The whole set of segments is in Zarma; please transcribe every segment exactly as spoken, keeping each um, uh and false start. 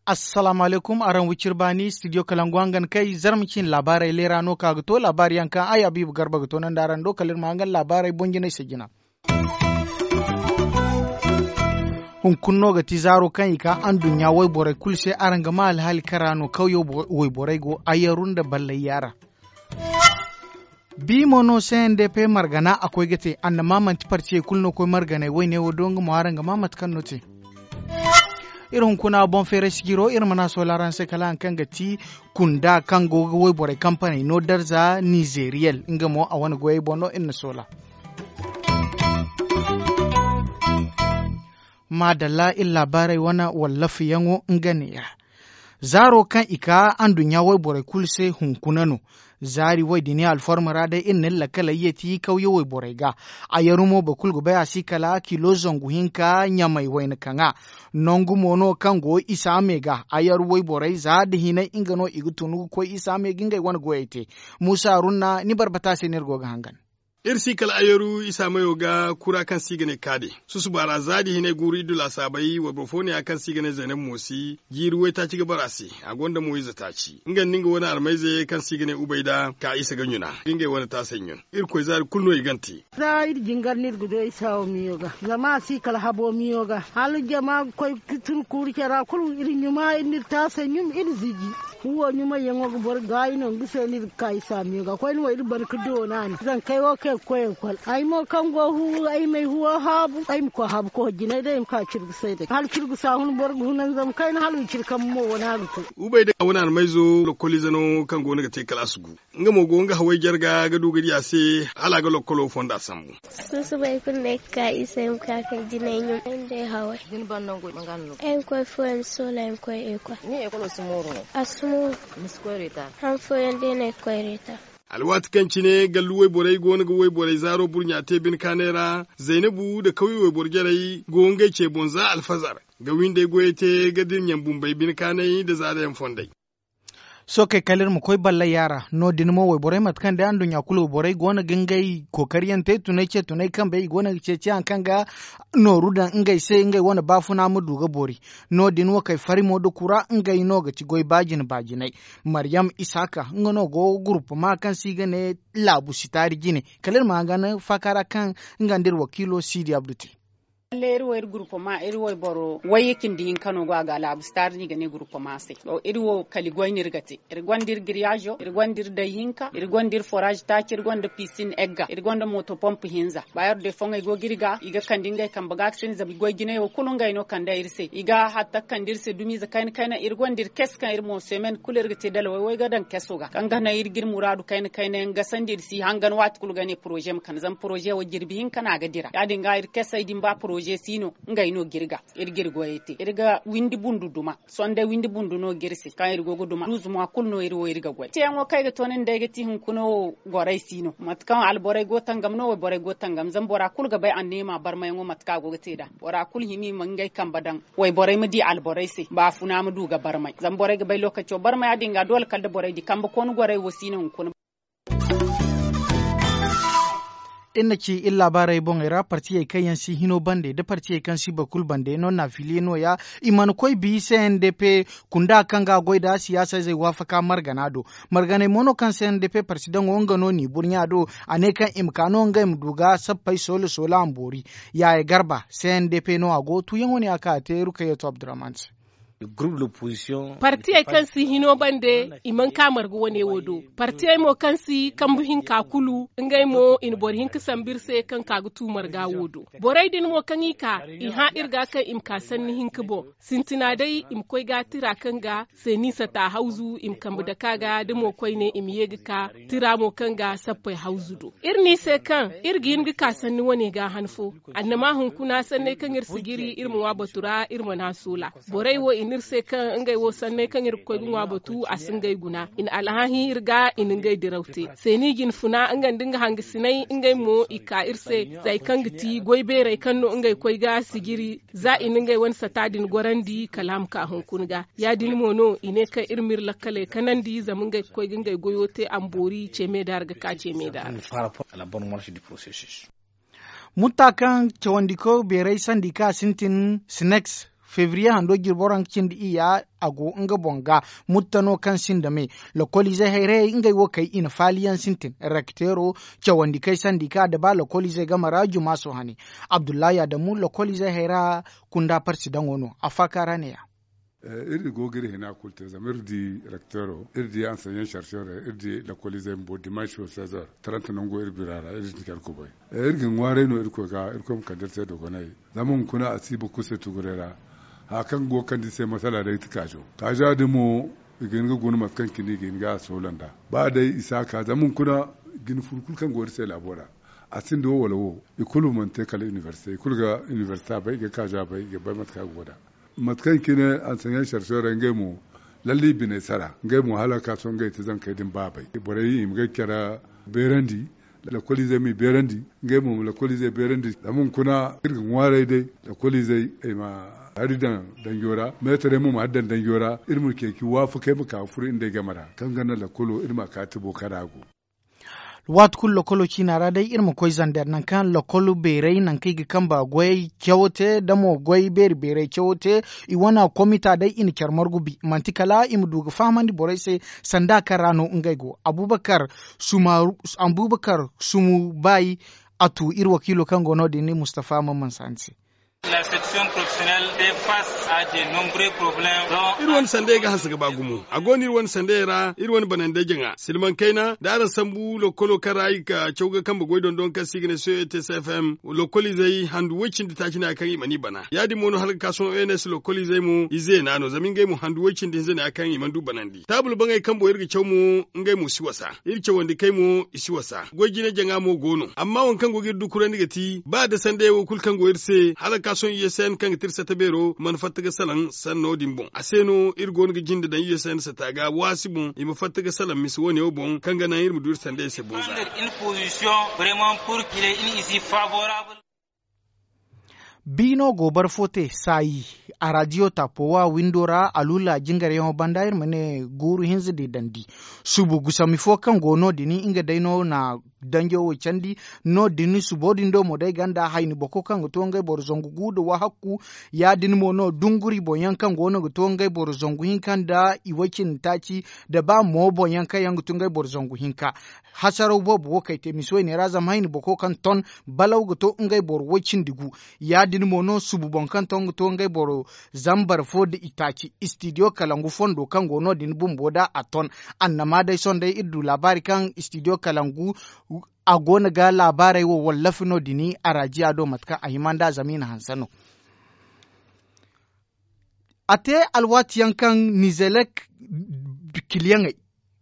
Assalaamu alaykum, araŋ wicir baani studio kalangu hangan kay zarma cine laabaarey leera no ka ga to laabaari yaŋ kaŋ ay habiibu garba ga toonandi araŋ do kala iri ma hangan laabaarey boŋ jinay se jina. Hunkuna no ga ti zaaro kaŋ i ka anduɲɲa wayborey kulu se araŋ ga ma alhaali kara no kawyo wayborey go ayaru nda ballay yaara. Bi mo no cndp margana a koy ga te annama manti partiyey kulu no koy marganey wayne wo do nga mo araŋ ga ma mate kaŋ no te. Iri hunkuna boŋ feeray sijiro iri mana soola araŋ se kala haŋ kaŋ ga ti kunda kaŋ go ga wayborey kampaney no darza nizeriyel nga mo a wane goyey boŋ no iri na soola. Maadalla iri laabaarey wane wallafayaŋo nga neeya. Zaaro kaŋ i ka anduɲɲa wayborey kulu se hunkuna no. Zaari way din alforma ra day iri na iri lakaley ye ti kawye wayborey ga. Ayaru mo boro kulu ga bay a si kala kilo zangu hinka ɲamay wayna kaŋa. Nangu mo no kaŋ go isa me ga ayaru wayborey za nda hinay nga no i ga tunu ga koy isa me ga ngey wane goyey te. Muusa haruna ni barbata se no iri go ga hangan. Iri si kala ayaru isa mayo ga kura kaŋ se i ga ne kaade. Susuba ra za nda hinay guuru iddu laasaabey wayboro fo ne ya kaŋ se i ga ne zaynab moosi jiiri waytaaci ga bara se. A gonda mo ize taaci nga nda nga wane almayze kaŋ se i ga ne ubayda ka isa ga ɲuna da ngey wane taasay ɲun. Irkoy zaari kulu no i gante. Za iri jingar no iri ga du ay saawo miyo ga zama a si kala habo miyo ga hala jama ga koy ga tun kuuru care ra kulu iri ɲuma iri n'iri taasay ɲum iri ziji. Huwo ɲumayyaŋo ga boro gaayi no nga se no iri ga ka isa miyo ga koyne wo iri ban ga doona ni zankey wo kaŋ i ga koy ekol ay mo kaŋ go hu ay ma ay huwo haabu ay ma koy haabu koy jinay day ay ma ka cirgu say day hala cirgu saahun boro ga hunan zama kayna hala wiciri kambe mo wane a ga to. Ubay day a wane almayzo lokolize no kaŋ go no ga te kala a si gu. Nga mo go nga haway jarga ga du ga di a se hala a ga lokkolo fonda sambu. Susubay kulu no ay ga ka isa ay ma ka kay jinay ɲum ay ma day haway. Ay ma koy fooyaŋ soola ay ma koy ekol. A si mooru. Han fooyaŋ day no ay ga koy reeta. Alwaati kaŋ cine gallu wayborey go no ga wayborey zaaro burɲa te bine kaanay ra. Zaynabu nda kawye wayboro jarey go ngey ce boŋ za alfazar ga windey goyey te ga dira ɲaŋ bumbey bine kaanay nda zaarayaŋ fondey. Sookey kala iri ma koy ballay yaara no- din mo wayborey mate kaŋ day anduɲɲa kulu wayborey go no ga ngey kookariyaŋ te tunay ce tunay kambey i go no ga ceeci haŋ kaŋ ga nooru daŋ ngey se ngey wane baafuna ma du ga boori. No- din wo kay fari mo nda kura ngey no ga ti goy baajine baajinay. Maryam isaaka nga no go guruppama kaŋ se i ga ne laabu sitaari jine. Kala iri ma hangan faaka ra kaŋ nga nda iri wakiilo siidi abdu te. Lalle iri wo iri guruppama iri wayboro wayye cindi hinka no go a ga laabu sitaari no i ga ne guruppama se. Iri wo kala i goy no iri ga te. Iri gonda iri giriyaazo iri gonda iri day hinka iri gonda iri foraazi taaci iri gonda pisin egga iri gonda mooto pomp hinza. Baayar day foŋey go ga iri ga i ga kande ngey kambe ga ga sindi zama i goy jinay wo kulu ngey no kande iri se i ga hatta kande iri se dumiize kayna kayna iri gonda iri kes kaŋ iri mo semen kulu iri ga te dalawey wo ay ga daŋ keso ga kaŋ ga naŋ iri ga iri muraadu kayna kayna yaŋ gasandi iri si hangan waati kulu ga ne poroze ma kande zama poroze wo jirbi hinka no a ga dira ya- din ga iri kesey din ba poroze si no ngey no ga iri ga iri ga iri goyey te iri ga windi bundu duma. Sohõ day windi bundu no ga iri se kaŋ iri go ga duma duuzu mwa kulu no iri wo iri ga goy teeyaŋo kaŋ ay ga to nin day ga ti hunkuna wo gorey si no mate kaŋ alborey go tangam no wayborey go tangam zama bora kulu ga bay anniya ma barmayaŋo mate kaŋ a go ga te nd'a. Bora kulu hima i ma ngey kambe daŋ wayborey ma di alborey se baafuna ma du ga barmay zama borey ga bay lookaco barmay ya- din ga doole kala da borey di kambe koonu gorey wo si no hunkuna. Iri na ci iri laabaarey boŋey ra partiyey kaŋ yaŋ si hino bande nda partiyey kaŋ si boro kulu bande no naafiliye nooya. I mana koy bi cndp kunda kaŋ ga a goy nd'a siyaasa izey waafaka margana do. Marganey mo no kaŋ cndp parti daŋo nga no n'i burɲa do. A ne kaŋ i ma ka no ngey ma du ga sappey soola soola a ma boori. Yaaya garba cndp no a go tuuyaŋo ne a ka a te rukayatu abdurrahman se. Partiyey kaŋ si hino bande i mana ka marga wane wo do. Partiyey mo kaŋ si kambu hinka kulu ngey mo i na boro hinka sambu iri se kaŋ ka ga tu marga wo do. Borey din mo kaŋ i ka i hã iri ga kaŋ i ma ka sanni hinka boŋ. Sintina day i ma koy ga tira kaŋ ga seeni sata hawzu i ma kambe dake a ga da mo koyne i ma ye ga ka tira mo kaŋ ga sappey hawzu do. Iri ne i se kaŋ iri ga hin ga ka sanni wane ga han fo. Annama hunkuna sanney kaŋ iri si jiri iri ma ŋwa batu ra iri mana soola. Borey wo i Iri se kaŋ ngey wo sanney kaŋ iri ga koy ga ŋwa batu a si ngey guna i na alhãahi iri ga i na ngey diraw te. Seeni jinfuna nga nda nga hangasiney ngey mo i ka iri se. Zay kaŋ ga ti goy beerey kaŋ no ngey koy ga sijiri za i na ngey wane sata din gorandi kala a ma ka hunkuna ga. Ya- din mo no i ne kaŋ iri ma iri lakkaley kanandi zama ngey ga koy ga ngey goyo te a ma boori ce me da ra ga ka ce me da ra. Mutta kaŋ cawandiko beeray sandi ka sintin sinex febriye hando jirboro nga cindi iyya a go nga boŋ ga. Mutta no kaŋ sinda me lokoliizey hayrayey ngey wo kay i na faaliyaŋ sintin rakteero cawandi kay sandi ka da ba lokoliizey game ra jumaaso hane. Abdullahi adamu lokoliizey hayra kunda parsi daŋo no a faaka ra ne- ya. Iri go ga iri hina kulu te zama iri di rakteero iri di anseɲaŋ sarseero iri di lakoliizey bumbo dimansi wo sezer taranta nango iri bira ra iri di care kubay. Iri ga ŋwaaray no irkoy ga irkoy ma kande iri se dogonay. Zama hunkuna a si ba kulu se tuguray ra haya kaŋ go ga kande iri se masala day ga ti kaajo kaaja din mo i ga hin ga guna mate kaŋ cine i ga hin ga a soola nd'a. Ba day i si a ka zama hunkuna jine furu kulu kaŋ go iri se laabo ra a sinda wo wala wo i kulu mana te kala inibersite i kulu ga inibersite a bay i ga kaajo a bay i ga bay mate kaŋ a go nd'a. Mate kaŋ cine anseɲaŋ sarseero ngey mo lalle i biney sara ngey mo hala ka sohõ ngey ti zankey din baabay borey i ma ngey care beerandi. Lakoliizey m'i beerandi ngey mo ma lakoliizey beerandi zama hunkuna iri ga ŋwaaray day lakoliizey i ma hari daŋ danjo ra meetarey mo ma hari daŋ danjo ra iri ma ceeci waafakey ma ka ga furo iri nd'ey game ra kaŋ ga naŋ lakolo iri ma a ka tibo kaŋ ra a go. Waati kulu lokolo ciina ra day iri ma koy zander nangu kaŋ lokolo beeray nangu kaŋ i ga kambe goyey cawo te da mo goy beeri beeray cawo te. I wane komita day i na care margu bi manti kala i ma du ga fahamandi borey se sanda kaŋ ra no ngey go abubakar sumu bay. A tu iri wakiilo kaŋ go no- din mustafa mamman saani se. Iri wane sanday ga hanse ga ba gumo a go no iri wane sanday ra iri wane bananday jaŋa silmaŋ kayna da araŋ sambu lokolo kaŋ ra i ga caw ga kambe goy dondon kaŋ se i ga ne soyo ete se f m lokoliizey handu way cindi taaci ne ya kaŋ i mana i bana ya- din mo no hala ga ka sohõ o n s lokoliizey mo i zeena no zama ngey mo handu way cindi hinza ne ya kaŋ i mana du banandi taabul baŋey kambo iri ga caw mo ngey mo si wasa iri cawandi kay mo i si wasa goy jine jaŋa mo go no amma waŋ kaŋ go ga iri dukurandi ga ti ba da sanday wo kulu kaŋ go iri se hala ga ka sohõ i s n kaŋ ga ti iri sata beero mana fatta ga salaŋ sanno din boŋ a se no iri go no ga jinde daŋ i s n sata ga waasi boŋ i ma fatta ga salaŋ misa wo- ne wo boŋ kaŋ ga naŋ iri ma du iri sanday se boŋ za. Biino go barfo te saayi a raadiyo taapo wa windo ra aluula jingaryaŋo banda iri ma ne guuru hinza din dandi. Subu gusami fo kaŋ go no- din nga day no na danjo wo candi. No- din subo din do mo day ganda hayni boko kaŋ ga to ngey boro zangu gu nda wahakku. Ya- din mo no dunguri boŋ yaŋ kaŋ go no ga to ngey boro zangu hinka nda i way cindi taaci nda ba mo boŋ yaŋ kaŋ yaŋ ga to ngey boro zangu hinka. Hasaraw boobo wo kay te misi wayne ra zama hayni boko kaŋ ton balaw ga to ngey boro way cindi gu. Ya- din mo no subu boŋ kaŋ ton ga to ngey boro zambar fo nda itaaci istidiyo kalangu fondo kaŋ go no- din bumbo da a ton. Annama day sohõ day iri du laabaari kaŋ istidiyo kalangu a go no ga laabaarey wo wallafi no- din a raajiya do mate kaŋ a hima nd'a zama i na hanse no. A te alwaati yaŋ kaŋ nizelek kiliyaŋey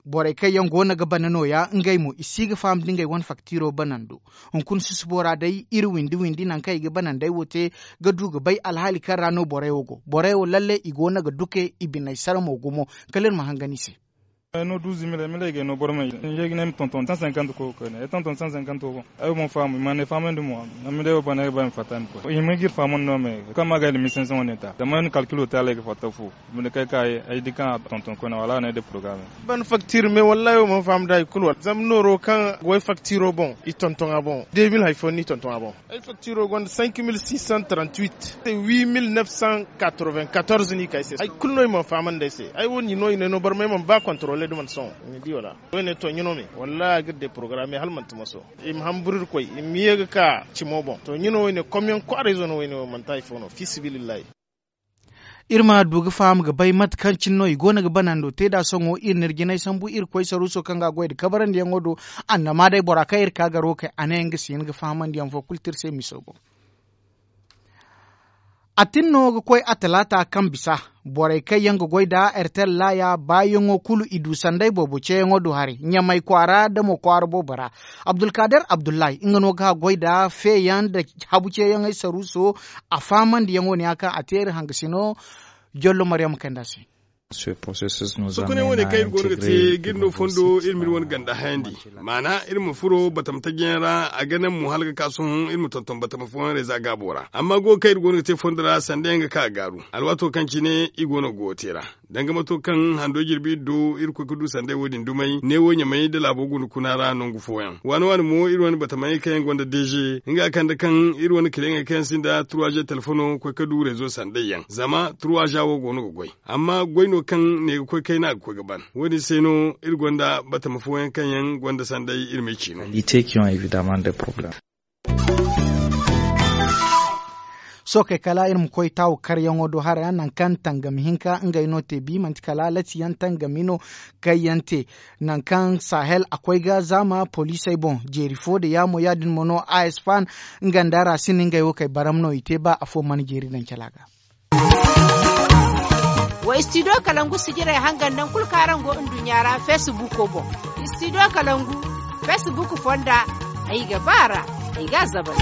borey kaŋ yaŋ go no ga bana nooya ngey mo i si ga faham da ngey wane faktiro banando. Hunkuna susubo ra day iri windi windi nangu kaŋ i ga banandey wo te ga du ga bay alhaali kaŋ ra no borey wo go borey wo lalle i go no ga duke i biney sara mo gumo. Kala iri ma hangan i se. Ay no duuzu mil ay milay ga ay no bormey i ga ne ay ma tonton san sankant koy ga koy ne ay tonton san sankant wo boŋ. Ay wo mana faham i mana ay fahamandi mo. Amma day wo bana ay ga ba ay ma fatta ni koy i hima ga iri fahamandi no me kaŋ ma ga ay da mil senk san wane ta zama ay na kalkilo te hala ay ga fatta fu. Binde kay ka ay di kaŋ a tonton koyne wala a ne ay da porogarame. Ban faktire me wallahi wo mana faham da hari kulu wala zama nooro kaŋ go ay faktiro boŋ i tonton a boŋ de mil hari fo no i tonton a boŋ. Ay faktiro gonda cinq mille six cent trente-huit, huit mille neuf cent quatre-vingt-quatorze no i ka ay se hari kulu no i mana fahamandi ay se ay wo ni no i ne no barmay mana ba kontrole da mana sohõ ni di wala? Wo ne to ɲino me wallahi a ga iri de porogarame hala manti maso. I ma hamburu iri koy i ma ye ga ka cimo boŋ to ɲino wo ne komyaŋ kwaarayzo no wo ne wo manti hari fo no fi sabilillahi. Iri ma du ga faham ga bay mate kaŋ cine no i go no ga banando te nd'a sohõ iri n'iri jinay sambu iri koy saruuso kaŋ ga a goy nda kabarandiyaŋo do. Annama day bora kaŋ iri ka garo kay a ne nga si hin ga fahamandiyaŋ fo kulu te iri se miso boŋ. A tin no ga koy a talaata kaŋ bisa borey kaŋ yaŋ ga goy nda ertel laaya baayaŋo kulu i du sanday boobo ceeyaŋo do haray ɲamay kwaara nda mo kwaara boobo ra. Abdulkader abdullahi nga no ga goy nda feeyaŋ nda habu ceeyaŋey saruuso. A faamandiyaŋo ne ya kaŋ a te iri hangasino. Jollo mariyam kanda se. Sokoney wane kaŋ iri go no ga te ga iri no fondo iri ma iri wane ganda hayandi. Maana iri ma furo batama tajiyaŋ ra a ga naŋ mo hala ga ka sohõ iri ma tonton batama fooyaŋ reeza gaabo ra amma go kaŋ iri go no ga te fondo ra sanda yaŋ ga ka ga gaaru. Alwaato kaŋ cine i go no ga goyo te ra danga mato kaŋ hando jirbi iri do iri koy ga du sanday wo- din dumey neewo ɲamay nda laabo guna kuna ra nangu fooyaŋ waani waani mo iri wane batamayey kaŋ yaŋ gonda deeze nga kande kaŋ iri wane kiliyaŋey kaŋ yaŋ sinda turwaza telefono koy ga du reezo sanday yaŋ zama turwaza wo go no ga goy. Amma goy no kaŋ ne ga koy kayna a ga koy ga ban wo- din se no iri gonda batama fooyaŋ kaŋ yaŋ gonda sanday iri ma ay ciino. Sookey kala iri ma koy taawu karyaŋo do hara nangu kaŋ tangami hinka ngey no te bi manti kala latiyaŋ tangami no kaŋ yaŋ te. Nangu kaŋ sahel a koy ga zaama poliisey boŋ jeeri fo nda yaamo ya- din mo no a s fan nga nda ra sinda ngey wo kay baram no i te ba afo mana jeeri daŋ cala ga. Wa istidiyo kalangu sijirey hangan nangu kulu kaŋ araŋ go nduɲɲa ra feesibuuko boŋ. Istidiyo kalangu feesibuuko fonda ay ga ba a ra. Ay ga a zabal.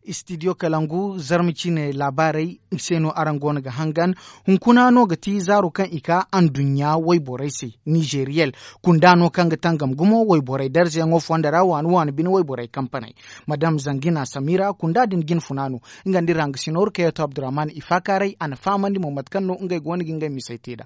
Istidiyo kalangu zarma ciine laabaarey se no araŋ go no ga hangan. Hunkuna no ga ti zaaro kaŋ i ka anduɲɲa wayborey se nizeeriyel kunda no kaŋ ga tangam gumo wayborey darzayaŋo fonda ra waani waani bine wayborey kampaney. Madam zangina samira kunda din jine funa no. Nga nda iri hangasino iri kayyato abdurrahman ifaakaaray a na fahamandi mo mate kaŋ no ngey go no ga ngey misey te nd'a.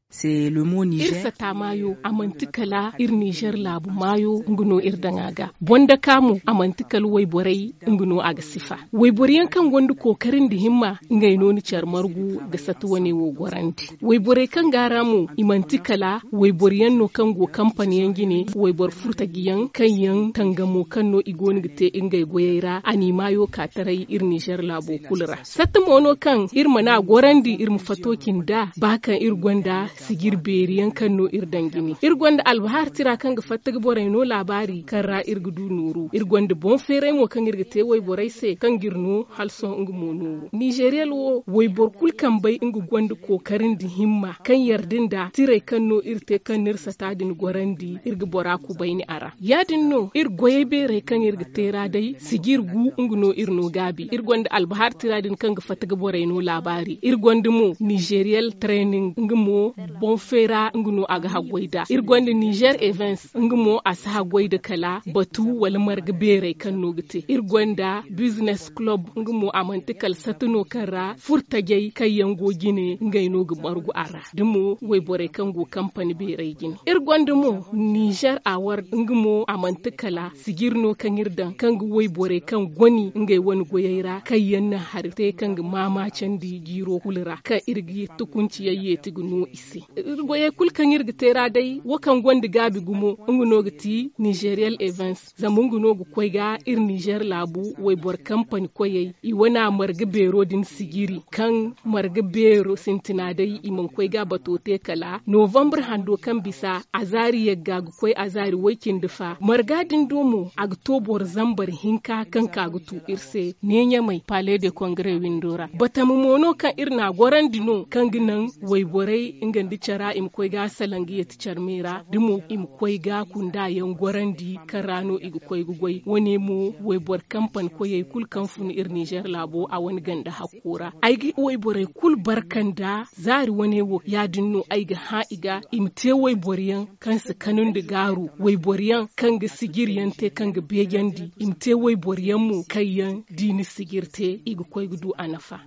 Iri sata maayo a manti kala iri nizer laabu maayo nga no iri daŋ a ga. Bondaka mo a manti kala wayborey nga no a ga sifa. Wayboro yaŋ kaŋ gonda kookari nda himma ngey no ni care margu ga sata wane wo gorandi. Wayborey kaŋ go a ra mo i manti kala wayboro yaŋ no kaŋ go kampani yaŋ jine wayboro furtaji yaŋ kaŋ yaŋ tangamo kaŋ no i go no ga te ngey goyey ra a n'i maayo ka taray iri nizer laabo kulu ra. Satta mo no kaŋ iri mana gorandi iri ma fato cindi a ba kaŋ iri gonda sijiri beeri yaŋ kaŋ no iri daŋ jine iri gonda albahar tira kaŋ ga fatta ga borey no laabaari kaŋ ra iri ga du nooru iri gonda boŋ feeray mo kaŋ iri ga te wayborey se kaŋ ga iri no hala sohõ nga mo nooru nizeriyel wo wayboro kulu kaŋ bay nga gonda kookari nda himma kaŋ yarda nda tirey kaŋ no iri te kaŋ no iri sata din gorandi iri ga bora kubayni a ra ya- din no iri goyey beerey kaŋ iri ga te ra day sijiri gu nga no iri no gaabi iri gonda albahar tira din kaŋ ga fatta ga borey no laabaari iri gonda mo nizeriyel training nga mo boŋ feera nga no a ga haggoy nd'a iri gonda nizer evens nga mo a si haggoy nda kala batu wala marga beerey kaŋ no ga te iri gonda bizines kulob nga mo a manti kala satta no kaŋ ra furtajey kaŋ yaŋ go jine ngey no ga margu a ra da mo wayborey kaŋ go kampani beerey jine iri gonda mo nizer award nga mo a manti kala sijiri no kaŋ iri daŋ kaŋ ga wayborey kaŋ goni ngey wane goyey ra kaŋ yaŋ na hari te kaŋ ga maamaacandi jiiro kulu ra kaŋ iri ga tukunci yaŋ yeeti ga no i se. Iri goyey kulu kaŋ iri ga te ra day wo kaŋ gonda gaabi gumo nga no ga ti nizeriyel evens zama nga no ga koy ga iri nizer laabu wayboro kampani koyey i wana marga beero din sijiri kaŋ marga beero sintina day i mana koy ga bato te kala novambre hando kaŋ bisa a zaari yagga ga koy a zaari way-cindi fa marga din do mo a ga to boro zambar hinka kaŋ ka ga tu iri se ne ɲamay pale de kongre windo ra batama mo no kaŋ iri na a gorandi no kaŋ ga naŋ wayborey nga nda cara i ma koy ga salaŋ ga yeeti care me ra da mo i ma koy ga kunda yaŋ gorandi kaŋ ra no i ga koy ga goy wane mo wayboro kampani koyey kulu kaŋ fun iri nizer laabo a wane ganda hakko ra ay ga wayborey kulu barka nda zaari wane wo ya- din no ay ga hã i ga i ma te wayboro yaŋ kaŋ si kanu nda gaaru wayboro yaŋ kaŋ ga sijiri yaŋ te kaŋ ga beejandi i ma te wayboro yaŋ mo kaŋ yaŋ da i na sijiri te i ga koy ga du a nafa.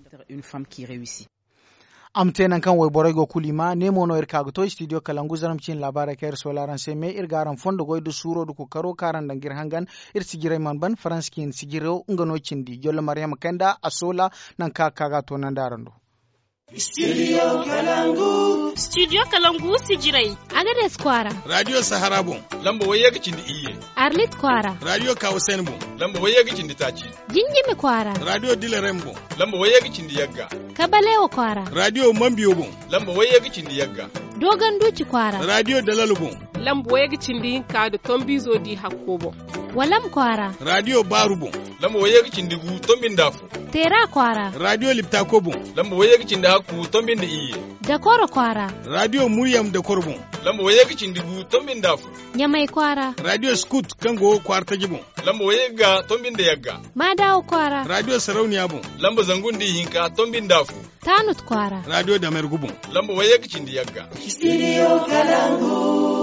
A ma te nangu kaŋ wayborey go kulu i ma ne mo no iri ka ga to istidiyo kalangu zarma ciine laabaarey kaŋ iri soola araŋ se me iri ga araŋ fondo goy nda suuro nda kookaro kaŋ araŋ daŋ ga iri hangan. Iri sijirey mana ban faransa ciine sijiro nga no cindi jollo mariyama kanda a soola nangu kaŋ a ga ka ga a toonandi araŋ do. Studio kalangu sijirey. Agades kwaara. Radio sahara boŋ. Lamba wayye ga cindi iyye. Arlit kwaara. Radio kawasen boŋ. Lamba wayye ga cindi taaci. Jinjimi kwaara. Radio dilerem boŋ. Lamba wayye ga cindi yagga. Kabalewa kwaara. Radio mambiyo boŋ. Lamba wayye ga cindi yagga. Dogon duci kwaara. Radio dalalo boŋ. Lamba wayye ga cindi hinka da tombizo di hakko boŋ. Walam kwaara. Radio baaru boŋ. Lamba wayye ga cindi gu tombinda fo. Teera kwaara. Raadiyo Liptako boŋ. Lamba wayye ga cindi hakku, tombi nda iyye. Dakoro kwaara. Raadiyo Muryam Dakoro boŋ. Lamba wayye ga cindi gu, tombi nda afo. Ɲamay kwaara. Raadiyo Scout, kaŋ go kwaara taji boŋ. Lamba wayye ga, tombi nda yagga. Maadawo kwaara. Raadiyo Sarauniya boŋ. Lamba zangu nda ihinka, tombi nda afo. Tanut kwaara. Raadiyo Damergu boŋ. Lamba wayye ga cindi yagga. Studio Kalangu.